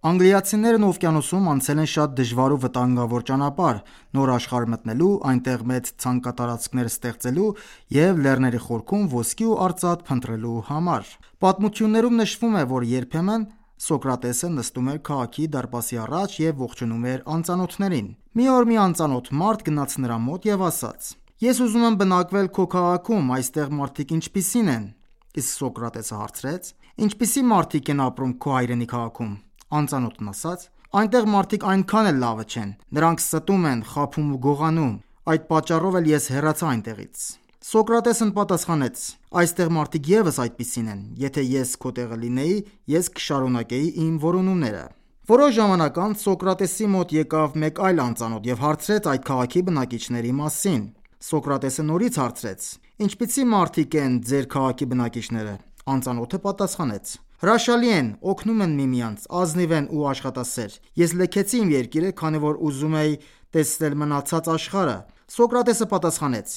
Անգլիացիներն օվկիանոսում անցել են շատ դժվար ու վտանգավոր ճանապարհ՝ նոր աշխարհ մտնելու, այնտեղ մեծ ցանկատարածքներ ստեղծելու և լեռների խորքում ոսկի ու արծաթ փնտրելու համար։ Պատմություններում նշվում է, որ երբեմն Սոկրատեսը նստում էր քաղաքի դարպասի առաջ և ողջունում էր անծանոթներին։ Մի օր մի անծանոթ մարդ գնաց նրա մոտ և ասաց. «Ես ուզում եմ բնակվել քո քաղաքում, այստեղ մարդիկ ինչպիսի՞ն են»։ Իսկ Սոկրատեսը հարցրեց. «Ինչպիսի՞ մարդիկ են ապրում քո հայրենի քաղաքում»։ Անծանոթն ասաց. «Այնտեղ մարդիկ այնքան էլ լավը չեն, նրանք ստում են, խաբում ու գողանում, այդ պատճառով էլ ես հեռացա այնտեղից»։ Սոկրատեսն պատասխանեց. «Այստեղ մարդիկ ևս այդպիսին են, եթե ես քո տեղը լինեի, ես կշարունակեի իմ որոնումները»։ Որոշ ժամանակ անց Սոկրատեսի մոտ եկավ մեկ այլ անծանոթ և հարցրեց այդ քաղաքի բնակիչների մասին։ Սոկրատեսը նորից հարցրեց. «Ինչպիսի մարդիկ են ձեր քաղաքի բնակիչները»։ Անծանոթը պատասխանեց. «Հրաշալի են, օգնում են միմյանց, ազնիվ են ու աշխատասեր։ Ես լքեցի իմ երկիրը, քանի որ ուզում էի տեսնել մնացած աշխարհը»։ Սոկրատեսը պատասխանեց.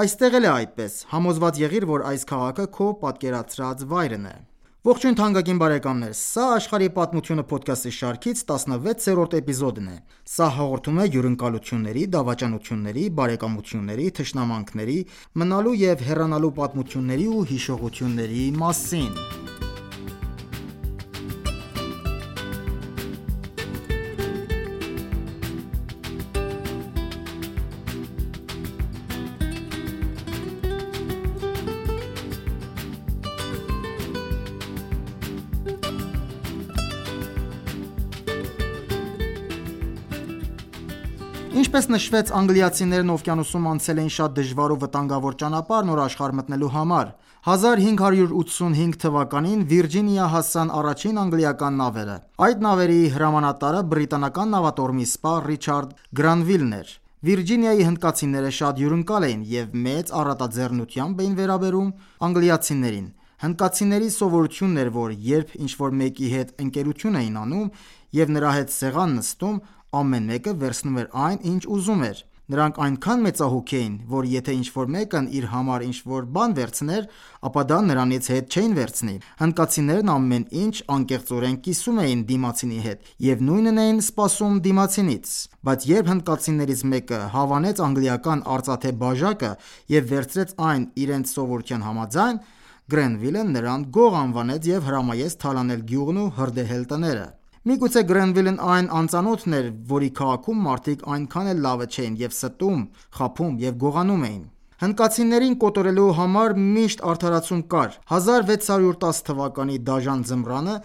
«Այստեղ էլ է այդպես, համոզված եղիր, որ այս քաղաքը քո պատկերացրած վայրն է»։ Ողջույն թանկագին բարեկամներ, սա «Աշխարհի պատմությունը» փոդքասթի շարքից 16-րդ էպիզոդն է։ Սա հաղորդում է հյուրընկալությունների, դավաճանությունների, բարեկամությունների, թշնամանքների, մնալու և հեռանալու պատմությունների ու հիշողությունների մասին։ Ինչպես նշվեց, անգլիացիներն օվկիանոսում անցել էին շատ դժվար ու վտանգավոր ճանապարհ նոր աշխարհ մտնելու համար։ 1585 թվականին Վիրջինիա հասան առաջին անգլիական նավերը։ Այդ նավերի հրամանատարը բրիտանական նավատորմի սպա Ռիչարդ Գրանվիլն էր։ Վիրջինիայի հնդկացիները շատ հյուրընկալ էին և մեծ առատաձեռնությամբ էին վերաբերում անգլիացիներին։ Հնդկացիների սովորությունն էր, որ երբ ինչ-որ մեկի հետ ընկերություն էին անում և նրա հետ սեղան նստում, ամեն մեկը վերցնում էր այն, ինչ ուզում էր։ Նրանք այնքան մեծահոգ էին, որ եթե ինչ-որ մեկն իր համար ինչ-որ բան վերցներ, ապա դա նրանից հետ չէին վերցնի։ Հնդկացիներն ամեն ինչ անկեղծորեն կիսում էին դիմացինի հետ և նույնն էին սպասում դիմացինից։ Բայց երբ հնդկացիներից մեկը հավանեց անգլիական արծաթե բաժակը և վերցրեց այն իրենց սովորության համաձայն, Գրանվիլը նրան գող անվանեց և հրամայեց թալանել գյուղն ու հրդեհել տները։ Միգուցե Գրանվիլն այն անծանոթն էր, որի քաղաքում մարդիկ այնքան էլ լավը չէին և ստում, խաբում և գողանում էին։ Հնդկացիներին կոտորելու համար միշտ արդարացում կար։ 1610 թվականի դաժան ձմռանը,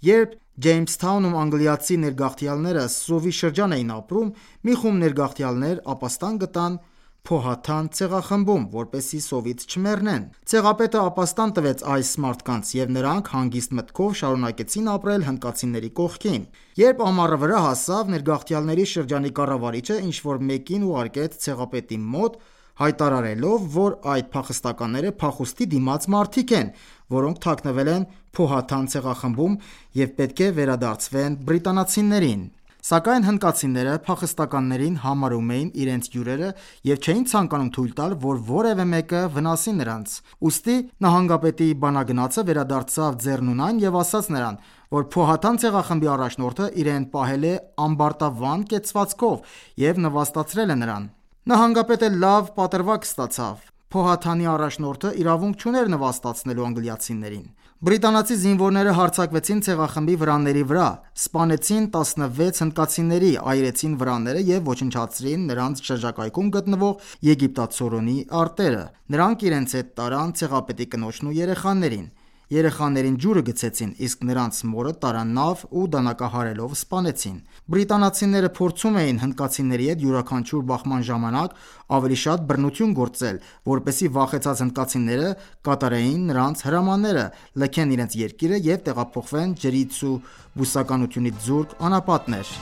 երբ Ջեյմսթաունում անգլիացի ներգաղթյալները սովի շրջան էին ապրում, մի խումբ ներգաղթյալներ ապաստան գտան Փոհաթան ցեղախմբում, որպեսզի սովից չմեռնեն։ Ցեղապետը ապաստան տվեց այս մարդկանց, և նրանք հանգիստ մտքով շարունակեցին ապրել հնդկացիների կողքին։ Երբ ամառը վրա հասավ, ներգաղթյալների շրջանի կառավարիչը ինչ-որ մեկին ուղարկեց ցեղապետի մոտ, հայտարարելով, որ այդ փախստականները փախուստի դիմաց մարդիկ են, որոնք թաքնվել են Փոհաթան ցեղախմբում և պետք է վերադարձվեն բրիտանացիներին։ Սակայն հնդկացիները փախստականներին համարում էին իրենց հյուրերը և չէին ցանկանում թույլ տալ, որ որևէ մեկը վնասի նրանց։ Ուստի նահանգապետի բանագնացը վերադարձավ ձեռնունայն և ասաց նրան, որ Փոհաթան ցեղախմբի առաջնորդը իրեն պահել է ամբարտավան կեցվածքով և նվաստացրել է նրան։ Նահանգապետը լավ պատրվակ ստացավ։ Փոհաթանի առաջնորդը իրավունք չուներ նվաստացնելու անգլիացիներին։ Բրիտանացի զինվորները հարձակվեցին ցեղախմբի վրանների վրա, սպանեցին 16 հնդկացիների, այրեցին վրանները և ոչնչացրին նրանց շրջակայքում գտնվող եգիպտացորենի արտերը։ Նրանք իրենց հետ տարան ցեղապետի կնոջն ու երեխաներին։ Երեխաներին ջուրը գցեցին, իսկ նրանց մորը տարան նավ ու դանակահարելով սպանեցին։ Բրիտանացիները փորձում էին հնդկացիների հետ յուրաքանչյուր բախման ժամանակ ավելի շատ բռնություն գործել, որպեսզի վախեցած հնդկացիները կատարեին նրանց հրամանները, լքեն իրենց երկիրը և տեղափոխվեն ջրից ու բուսականությունից զուրկ անապատներ։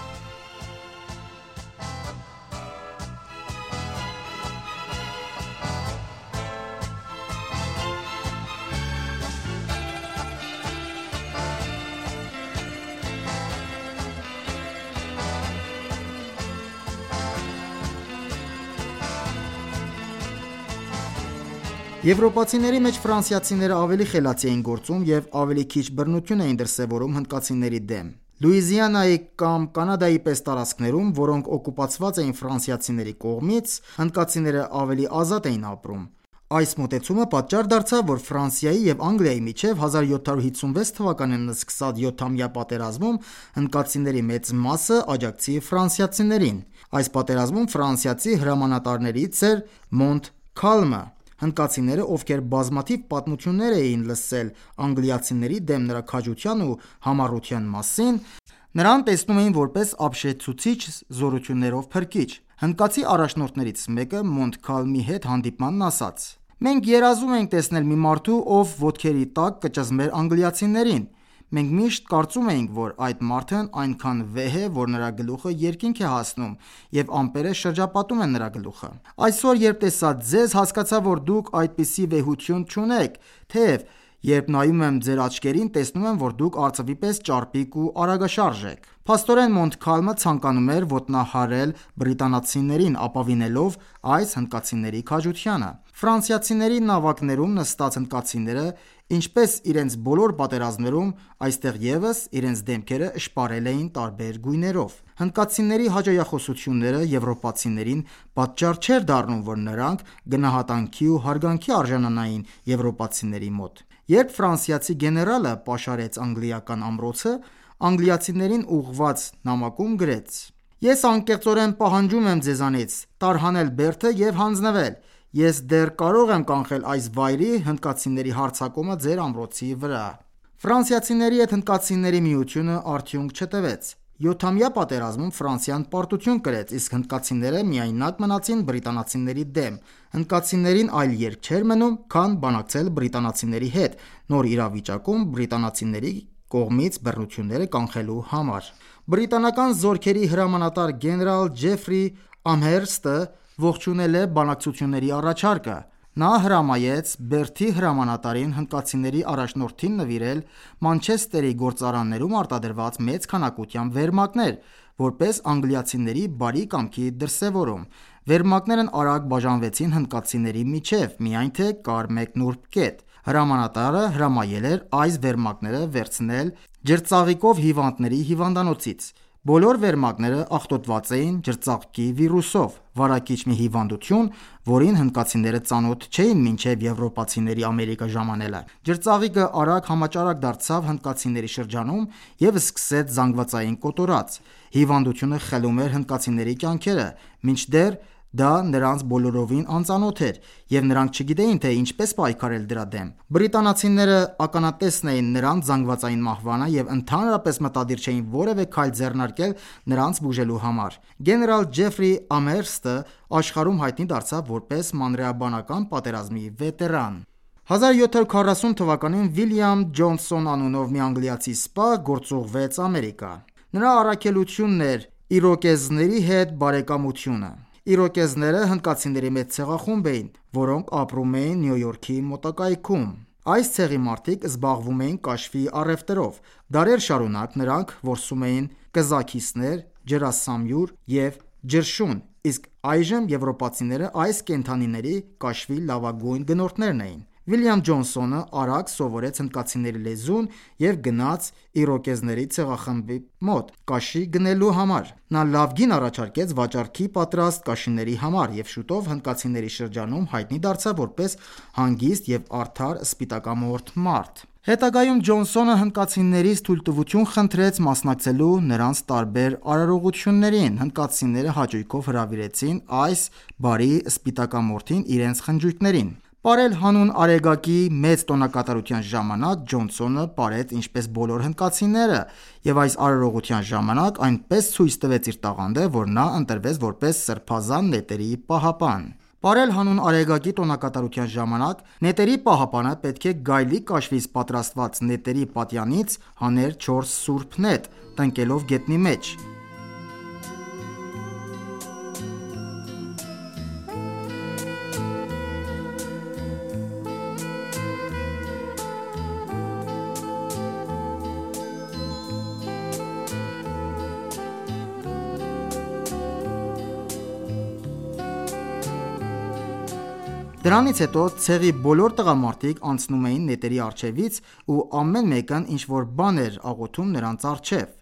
Եվրոպացիների մեջ ֆրանսիացիները ավելի խելացի էին գործում և ավելի քիչ բռնություն էին դրսևորում հնդկացիների դեմ։ Լուիզիանայի կամ Կանադայի պես տարածքներում, որոնք օկուպացված էին ֆրանսիացիների կողմից, հնդկացիները ավելի ազատ էին ապրում։ Այս մոտեցումը պատճառ դարձավ, որ Ֆրանսիայի և Անգլիայի միջև 1756 թվականին սկսած 7-ամյա պատերազմում հնդկացիների մեծ մասը աջակցի ֆրանսիացիներին։ Այս պատերազմում ֆրանսիացի հրամանատարներից էր Մոնտքալմը։ Հնդկացիները, ովքեր բազմաթիվ պատմություններ էին լսել անգլիացիների դեմ նրա քաջության ու համառության մասին, նրան տեսնում էին որպես ապշեցուցիչ զորություններով փրկիչ։ Հնդկացի առաջնորդներից մեկը Մոնտքալմի հետ հանդիպմանն ասաց. «Մենք երազում էինք տեսնել մի մարդու, ով ոտքերի տակ կճզմեր անգլիացիներին։ Մենք միշտ կարծում էինք, որ այդ մարդն այնքան վեհ է, որ նրա գլուխը երկինք է հասնում, և ամպերը շրջապատում են նրա գլուխը։ Այսօր, երբ տեսա ձեզ, հասկացա, որ դուք այդպիսի վեհություն չունեք, թեև երբ նայում եմ ձեր աչքերին, տեսնում եմ, որ դուք արծվի պես ճարպիկ ու արագաշարժ եք»։ Փաստորեն Մոնտքալմը ցանկանում էր ոտնահարել բրիտանացիներին, ապավինելով այս հնդկացիների քաջությանը։ Ֆրանսիացիների նավակներում նստած հնդկացիները, ինչպես իրենց բոլոր պատերազմներում, այստեղ ևս իրենց դեմքերը շպարել էին տարբեր գույներով։ Հնդկացիների հաճոյախոսությունները եվրոպացիներին պատճառ չէր դառնում, որ նրանք գնահատանքի ու հարգանքի արժանանային եվրոպացիների մոտ։ Երբ ֆրանսիացի գեներալը պաշարեց անգլիական ամրոցը, անգլիացիներին ուղղված նամակում գրեց. «Ես անկեղծորեն պահանջում եմ ձեզանից տարհանել բերդը և հանձնվել։ Ես դեռ կարող եմ կանխել այս վայրի հնդկացիների հարձակումը ձեր ամրոցի վրա»։ Ֆրանսիացիների հետ հնդկացիների միությունը արդյունք չտվեց։ 7-ամյա պատերազմում Ֆրանսիան պարտություն կրեց, իսկ հնդկացիները միայնակ մնացին բրիտանացիների դեմ։ Հնդկացիներին այլ ելք չէր մնում, քան բանակցել բրիտանացիների հետ՝ նոր իրավիճակում բրիտանացիների կողմից բռնությունները կանխելու համար։ Բրիտանական զորքերի հրամանատար գեներալ Ջեֆրի Ամհերսթը ողջունել է բանակցությունների առաջարկը։ Նա հրամայեց Բերդի հրամանատարին հնդկացիների առաջնորդին նվիրել Մանչեսթերի գործարաններում արտադրված մեծ քանակությամբ վերմակներ՝ որպես անգլիացիների բարի կամքի դրսևորում։ Վերմակներն արագ բաժանվեցին հնդկացիների միջև, միայն թե կար մեկ նուրբ կետ։ Հրամանատարը հրամայել էր այս վերմակները վերցնել ջրծաղիկով հիվանդների հիվանդանոցից։ Բոլոր վերմակները աղտոտված էին ջրծաղկի վիրուսով, վարակիչ մի հիվանդություն, որին հնդկացիները ծանոթ չէին մինչև եվրոպացիների Ամերիկա ժամանելը։ Ջրծաղիկը արագ համաճարակ դարձավ հնդկացիների շրջանում և սկսեց զանգվածային կոտորած։ Հիվանդությունը խլում էր հնդկացիների կյանքերը, մինչդեռ դա նրանց բոլորովին անծանոթ էր, և նրանք չգիտեին, թե ինչպես պայքարել դրա դեմ։ Բրիտանացիները ականատեսն էին նրանց զանգվածային մահվանը և ընդհանրապես մտադիր չէին որևէ քայլ ձեռնարկել նրանց բուժելու համար։ Գեներալ Ջեֆրի Ամհերսթը աշխարհում հայտնի դարձավ որպես մանրէաբանական պատերազմի վետերան։ 1740 թվականին Վիլյամ Ջոնսոն անունով մի անգլիացի սպա գործուղվեց Ամերիկա։ Նրա առաքելությունն էր իրոկեզների հետ բարեկամությունը։ Իրոկեզները հնդկացիների մեծ ցեղախումբ էին, որոնք ապրում էին Նյու Յորքի մոտակայքում։ Այս ցեղի մարդիկ զբաղվում էին կաշվի առևտրով։ Դարեր շարունակ նրանք որսում էին կզաքիսներ, ջրասամյուր և ջրշուն, իսկ այժմ եվրոպացիները այս կենդանիների կաշվի լավագույն գնորդներն էին։ Վիլյամ Ջոնսոնը արագ սովորեց հնդկացիների լեզուն և գնաց իրոկեզների ցեղախմբի մոտ կաշի գնելու համար։ Նա լավ գին առաջարկեց վաճառքի պատրաստ կաշիների համար, և շուտով հնդկացիների շրջանում հայտնի դարձավ որպես հանգիստ և արդար սպիտակամորթ մարդ։ Հետագայում Ջոնսոնը հնդկացիներից թույլտվություն խնդրեց մասնակցելու նրանց տարբեր արարողություններին։ Հնդկացիները հաճույքով հրավիրեցին այս բարի սպիտակամորթին իրենց խնջույքներին։ Պարել հանուն Արեգակի մեծ տոնակատարության ժամանակ Ջոնսոնը պարեց ինչպես բոլոր հնդկացիները, և այս արարողության ժամանակ այնպես ցույց տվեց իր տաղանդը, որ նա ընտրվեց որպես սրբազան նետերի պահապան։ Պարել հանուն Արեգակի տոնակատարության ժամանակ նետերի պահապանը պետք է գայլի կաշվից պատրաստված նետերի պատյանից հաներ 4 սուրբ նետ՝ տնկելով գետնի մեջ։ Դրանից հետո ցեղի բոլոր տղամարդիկ անցնում էին նետերի առջևից ու ամեն մեկն ինչ-որ բան էր աղոթում նրանց առջև։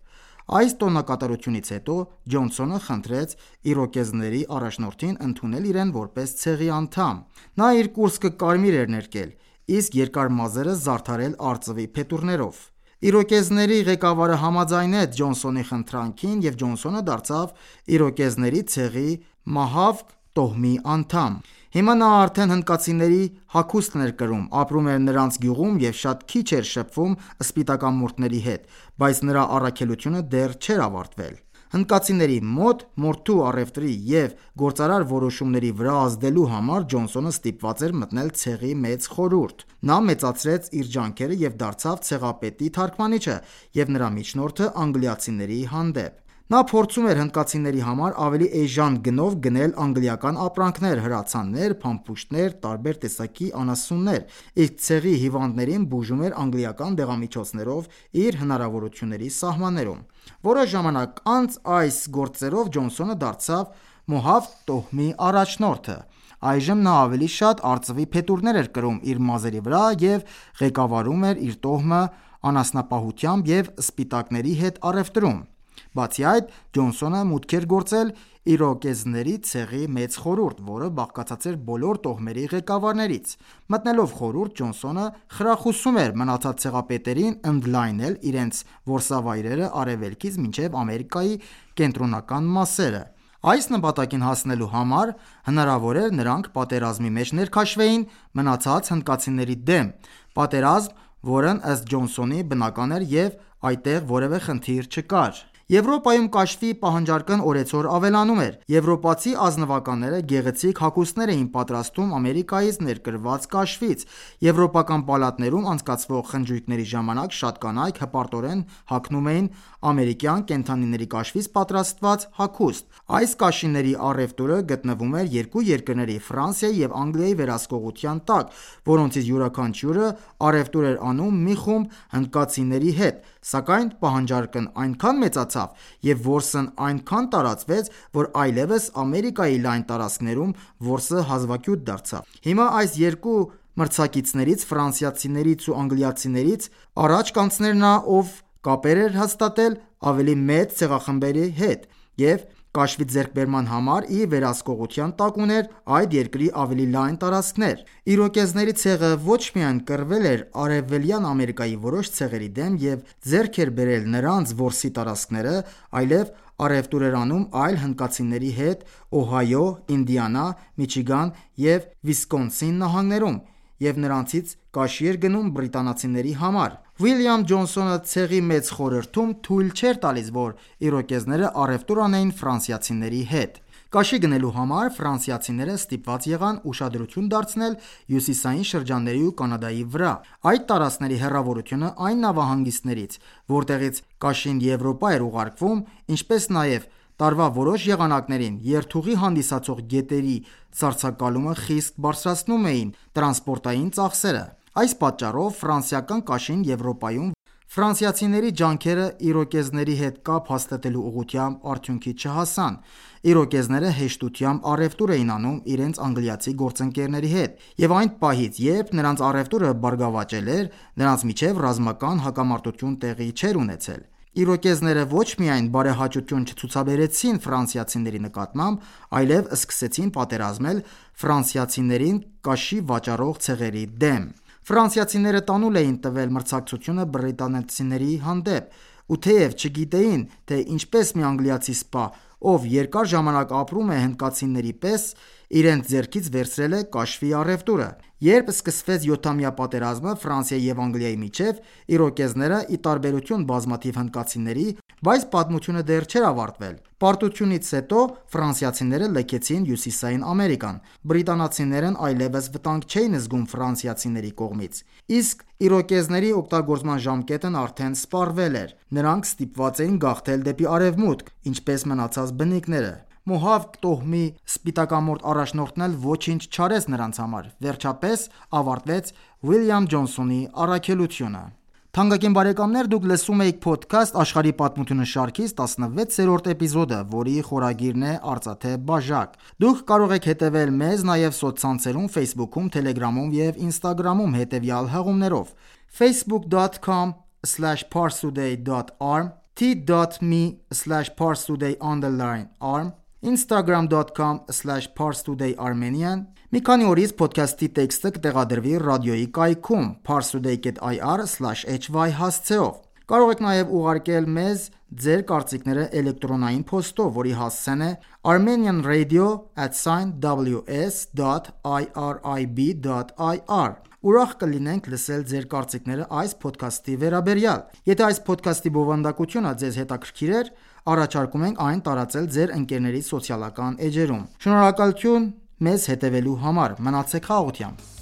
Այս տոնակատարությունից հետո Ջոնսոնը խնդրեց իրոկեզների առաջնորդին ընդունել իրեն որպես ցեղի անդամ։ Նա իր կուրծքը կարմիր էր ներկել, իսկ երկար մազերը զարդարել արծվի փետուրներով։ Իրոկեզների ղեկավարը համաձայնեց Ջոնսոնի խնդրանքին և Ջոնսոնը դարձավ իրոկեզների ցեղի Մահավկ տոհմի անդամ։ Հիմա նա արդեն հնդկացիների հագուստն էր կրում, ապրում էր նրանց գյուղում և շատ քիչ էր շփվում սպիտակամորթների հետ, բայց նրա առաքելությունը դեռ չէր ավարտվել։ Հնդկացիների մոտ մորթու առևտրի և գործարար որոշումների վրա ազդելու համար Ջոնսոնը ստիպված էր մտնել ցեղի մեծ խորհուրդ։ Նա մեծացրեց իր ջանքերը և դարձավ ցեղապետի թարգմանիչը և նրա միջնորդը անգլիացիների հանդեպ։ Նա փորձում էր հնդկացիների համար ավելի էժան գնով գնել անգլիական ապրանքներ, հրացաններ, փամփուշտներ, տարբեր տեսակի անասուններ, իսկ ցեղի հիվանդներին բուժում էր անգլիական դեղամիջոցներով իր հնարավորությունների սահմաններում։ Որոշ ժամանակ անց այս գործերով Ջոնսոնը դարձավ Մոհավկ տոհմի առաջնորդը։ Այժմ նա ավելի շատ արծվի փետուրներ էր կրում իր մազերի վրա և ղեկավարում էր իր տոհմը անասնապահությամբ և սպիտակների հետ առևտրում։ Բացի այդ, Ջոնսոնը մուտք էր գործել իրոկեզների ցեղի մեծ խորհուրդ, որը բաղկացած էր բոլոր տոհմերի ղեկավարներից։ Մտնելով խորհուրդ, Ջոնսոնը խրախուսում էր մնացած ցեղապետերին ընդլայնել իրենց որսավայրերը արևելքից մինչև Ամերիկայի կենտրոնական մասերը։ Այս նպատակին հասնելու համար հնարավոր էր նրանք պատերազմի մեջ ներքաշվեին մնացած հնդկացիների դեմ, պատերազմ, որն ըստ Ջոնսոնի բնական էր և այդտեղ որևէ խնդիր չկար։ Եվրոպայում կաշվի պահանջարկն օրեցօր ավելանում էր։ Եվրոպացի ազնվականները գեղեցիկ հագուստներ էին պատրաստում Ամերիկայից ներկրված կաշվից։ Եվրոպական պալատներում անցկացվող խնջույքների ժամանակ շատ կանայք հպարտորեն հագնում էին ամերիկյան կենդանիների կաշվից պատրաստված հագուստ։ Այս կաշիների առևտուրը գտնվում էր երկու երկրների՝ Ֆրանսիայի և Անգլիայի վերահսկողության տակ, որոնցից յուրաքանչյուրը առևտուր էր անում մի խումբ հնդկացիների հետ, սակայն պահանջարկն այնքան մեծացավ և որսն այնքան տարածվեց, որ այլևս Ամերիկայի լայն տարածքներում որսը հազվագյուտ դարձավ։ Հիմա այս երկու մրցակիցներից՝ ֆրանսիացիներից ու անգլիացիներից, առաջ կանցներ նա, ով կապեր էր հաստատել ավելի մեծ ցեղախմբերի հետ և կաշվի ձեռքբերման համար իր վերահսկողության տակ ուներ այդ երկրի ավելի լայն տարածքներ։ Իրոկեզների ցեղը ոչ միայն կռվել էր Արևելյան Ամերիկայի որոշ ցեղերի դեմ և ձեռք էր բերել նրանց որսի տարածքները, այլև առևտուր էր անում այլ հնդկացիների հետ Օհայո, Ինդիանա, Միչիգան և Վիսկոնսին նահանգներում և նրանցից կաշի էր գնում բրիտանացիների համար։ Ուիլյամ Ջոնսոնը ցեղի մեծ խորհրդում թույլ չէր տալիս, որ իրոկեզները առևտուր անեին ֆրանսիացիների հետ։ Կաշի գնելու համար ֆրանսիացիները ստիպված եղան ուշադրություն դարձնել հյուսիսային շրջանների ու Կանադայի վրա։ Այդ տարածքների հեռավորությունը այն նավահանգիստներից, որտեղից կաշին Եվրոպա էր ուղարկվում, ինչպես նաև տարվա որոշ եղանակներին երթուղի հանդիսացող գետերի սառցակալումը խիստ բարձրացնում էին տրանսպորտային ծախսերը։ Այս պատճառով ֆրանսիական կաշին Եվրոպայում ֆրանսիացիների ջանքերը իրոկեզների հետ կապ հաստատելու ուղղությամբ արդյունքի չհասան։ Իրոկեզները հեշտությամբ առևտուր էին անում իրենց անգլիացի գործընկերների հետ, և այն պահից, երբ նրանց առևտուրը բարգավաճել էր, նրանց միջև ռազմական հակամարտություն տեղի չէր ունեցել։ Իրոկեզները ոչ միայն բարեհաճություն չցուցաբերեցին ֆրանսիացիների նկատմամբ, այլև սկսեցին պատերազմել ֆրանսիացիներին կաշի վաճառող ցեղերի դեմ։ Ֆրանսիացիները տանուլ էին տվել մրցակցությունը բրիտանացիների հանդեպ, ու թեև չգիտեին, թե ինչպես մի անգլիացի սպա, ով երկար ժամանակ ապրում է հնդկացիների պես, իրենց ձեռքից վերցրել է կաշվի առևտուրը։ Երբ սկսվեց յոթամյա պատերազմը Ֆրանսիայի և Անգլիայի միջև, իրոկեզները, ի տարբերություն բազմաթիվ հնդկացիների, բայց պատմությունը դեռ չէր ավարտվել։ Պարտությունից հետո ֆրանսիացիները լքեցին Հյուսիսային Ամերիկան։ Բրիտանացիներն այլևս վտանգ չէին զգում ֆրանսիացիների կողմից, իսկ իրոկեզների օգտագործման ժամկետն արդեն սպառվել էր։ Նրանք ստիպված էին գաղթել դեպի արևմուտք, ինչպես մնացած բնիկները։ Մոհավկ տոհմի սպիտակամորթ առաջնորդն էլ ոչինչ չարեց նրանց համար։ Վերջապես ավարտվեց Ուիլյամ Ջոնսոնի առաքելությունը։ Թանկագին բարեկամներ, դուք լսում եք Podcast աշխարհի պատմությունը շարքից 16-րդ էպիզոդը, որի խորագիրն է Արծաթե բաժակ։ Դուք կարող եք հետևել մեզ նաև սոցցանցերում Facebook-ում, Telegram-ում և Instagram-ում հետևյալ հղումներով: facebook.com/parstoday.ir t.me/parstoday_arm, instagram.com/parstodayarmenian։ Մի քանի օրից ոդքասթի տեքստը կտեղադրվի ռադիոյի կայքում parstoday.ir/hy հասցեով։ Կարող եք նաև ուղարկել մեզ ձեր կարծիքները էլեկտրոնային փոստով, որի հասցեն է armenianradio@ws.irib.ir։ Ուրախ կլինենք լսել ձեր կարծիքները այս ոդքասթի վերաբերյալ։ Եթե այս ոդքասթի բովանդակությունը ձեզ հետաքրքիր էր, առաջարկում ենք այն տարածել ձեր ընկերների սոցիալական էջերում։ Շնորհակալություն մեզ հետևելու համար։ Մնացեք խաղաղությամբ։